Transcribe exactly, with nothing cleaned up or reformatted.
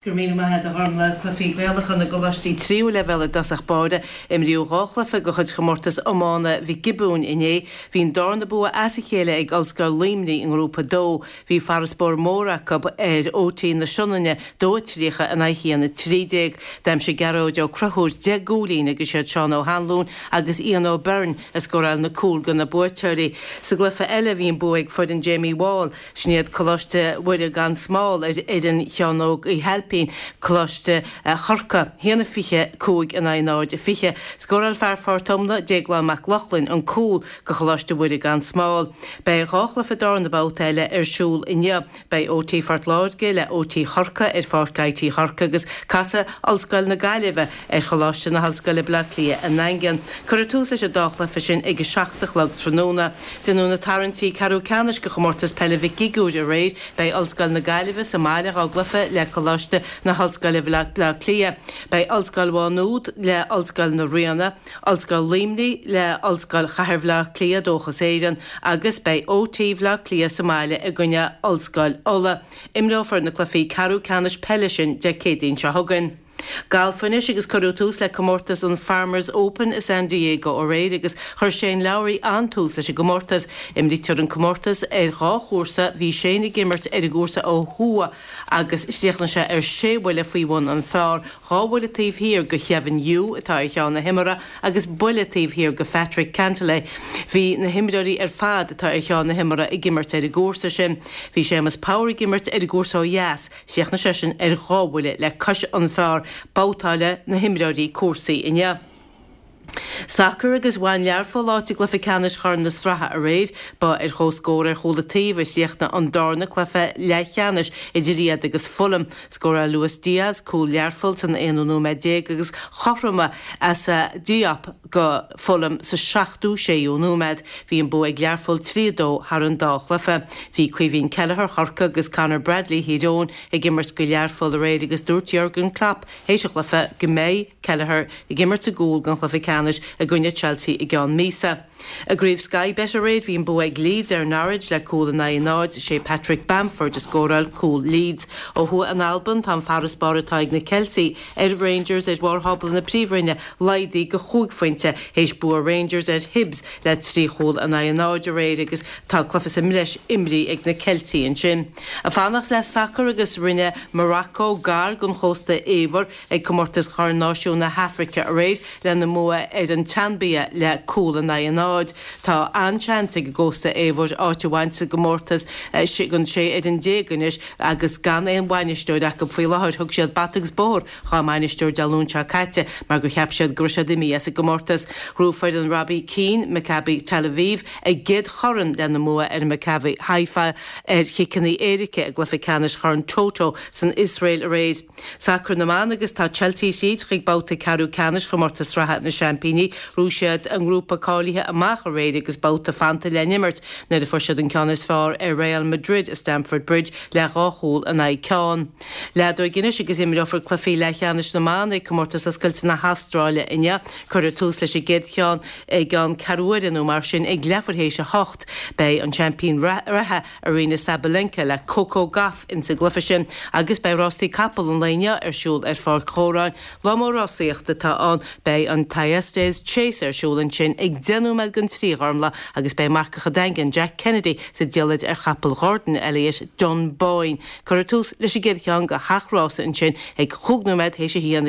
Go raibh míle maith agat a Ghormfhlaith. Cluichí Gaelacha na gcoláistí tríú leibhéal i dtosach báire. Imríodh dhá chluiche de chuid chomórtas iomána Mhic Giobúin inné. Bhí an darna bua as a chéile ag Ollscoil Luimnigh i ngrúpa dó. Bhí farasbarr mór acu ar OT na Sionainne dó a tríocha in aghaidh haon a trí déag. D'aimsigh Gearóid Ó Conchúir deich gcúilín agus siad Seán Ó hAnluain agus Ian O'Byrne a scóráil na cúil do na buaiteoirí. Sa gcluiche eile bhí an bua ag foireann Jamie Wall, sin iad Coláiste Mhuire gan Smál ar fhoireann Sheáin Óg Uí hAilpín, Coláiste Chorcaí, haon a fiche cúig in aghaidh náid a fiche. Scóráil fear Phort Omna, Déaglán Mac Lochlainn, an cúl do Choláiste Mhuire gan Smál. Beidh dhá chluiche darna babhta eile ar siúl inniu. Beidh OT Phort Láirge le OT Chorcaí ar Pháirc IT Chorcaí agus casfaidh Ollscoil na Gaillimhe ar Choláiste na hOllscoile Baile Átha Cliath i nDaingean. Cuirfear tús leis an dá chluiche sin ag a seacht a chlog tráthnóna. Déanadh na tarraingtí ceathrú ceannais do chomórtas peile Mhic Giobúin aréir. Beidh Ollscoil na Gaillimhe sa mbaile dhá gcluiche le Coláiste na hOllscoile Baile Átha Cliath. Beidh Ollscoil Mhá Nuad le Ollscoil na Ríona, Ollscoil Luimnigh le Ollscoil Chathair Bhaile Átha Cliath Dóchas Éireann agus beidh OT Bhaile Átha Cliath sa mbaile i gcoinne Ollscoil Uladh. Imreofar na cluichí ceathrú ceannais peile sin Dé Céadaoin seo chugainn. Galf anois agus cuireadh tús le comórtas an Farmers Open i San Diego aréir agus chuir Shane Lowry an-tús leis an gcomórtas. Imrítear an comórtas ar dhá chúrsa, bhí Shane ag imirt ar an gcúrsa ó thuaidh agus chríochnaigh sé ar sé bhuille faoi bhun an phar, dhá bhuille taobh thiar de Kevin Yu atá ar cheann na himeartha agus buille taobh thiar de Patrick Cantlay. Bhí na himreoirí ar fad atá ar cheann na himeartha ag imirt ar an gcúrsa sin. Bhí Séamus Power ag imirt ar an gcúrsa ó dheas, chríochnaigh seisean ar dhá bhuille le cois an phar. Babhtáladh na himreoirí cúrsaí inniu. Sacar agus bhain Learpholl áit i gcluiche ceannais Chorn na Sraithe aréir. Ba ar chomhscór ar chúl an taobh a chríochnaigh an darna cluiche leathcheannais idir iad agus Fulham. Scóráil Luis Diaz cúl Learpholl san aonú nóiméad déag agus chothromaigh Assa Diop do Fulham sa seachtú séú nóiméad. Bhí an bua ag Learpholl trí a dó thar an dá chluiche. Bhí Caoimhín Kelleher Chorcaí agus Conor Bradley Thír Eoghain ag imirt do Learpholl aréir agus dúirt Jurgen Klopp théis an chluiche go mbeidh Kelleher ag imirt i gcúl don chluiche ceannais i gcoinne Chelsea i gceann míosa. I gcraobh Sky Bet aréir bhí an bua ag Leeds ar Norwich le cúl in aghaidh náid sé Patrick Bamford a scóráil cúl Leeds. Ó thuaidh in Albain tá an farasbarr atá ag na Ceiltigh ar Rangers ar bharr thábla na Príomhroinne laghdaithe go chúig phointe théis bua Rangers ar Hibs le trí chúl in aghaidh náid aréir agus tá cluiche sa mbreis imrithe ag na Ceiltigh ansin. Ag fanacht le sacar agus rinne Morocco gar don Chósta Eabhair ag comórtas Chorn Náisiún na hAfraice aréir lena mbua ar an tSaimbia le cúl in aghaidh náid. Tá an-seans ag an gCósta Eabhair áit a bhaint sa gcomórtas gan sé fhoireann déag anois agus gan aon bhainisteoir acu faoi láthair thug siad bata agus bóthar dá mbainisteoir Dé Luain seo caite mar gur cheap siad go raibh siad imithe as an gcomórtas. Ghnóthaigh foireann Robbie Keane Maccabi Tel Aviv a gcéad chorn lena mbua ar Maccabi Haifa ar chiceanna éirice i gcluiche ceannais Chorn Toto san Iosrael aréir. Sacar na mban agus tá Chelsea tríd chuig babhta ceathrú ceannais chomórtas sraithe na seaimpíní, ghnóthaigh siad an grúpa cáilithe amach aréir agus babhta fanta le n-imirt nuair a fuair siad an ceann is fearr ar Real Madrid i Stamford Bridge le dhá chúl in aghaidh ceann. Leadóg anois agus imreofar cluichí leathcheannais na mban ag comórtas oscailte na hAstráile inniu. Cuirfear tús leis an gcéad cheann i gceann ceathrú uaire nó mar sin ag leathuair théis a hocht. Beidh an seaimpín reatha Aryna Sabalenka le Coco Gauff insa gcluiche sin agus beidh rásaí capall an lae inniu ar siúl ar Pháirc Dhóráin. Lá mór rásaíochta atá ann, beidh an Thyestes Chase ar siúl ansin ag deich nóiméad don trí Ghormfhlaith agus beidh marcach an Daingin Jack Kennedy sa diallait ar chapall Ghordon Elliott Dunboyne. Cuirfear tús leis an gcéad cheann de sheacht rása ansin ag chúig nóiméad théis a haon.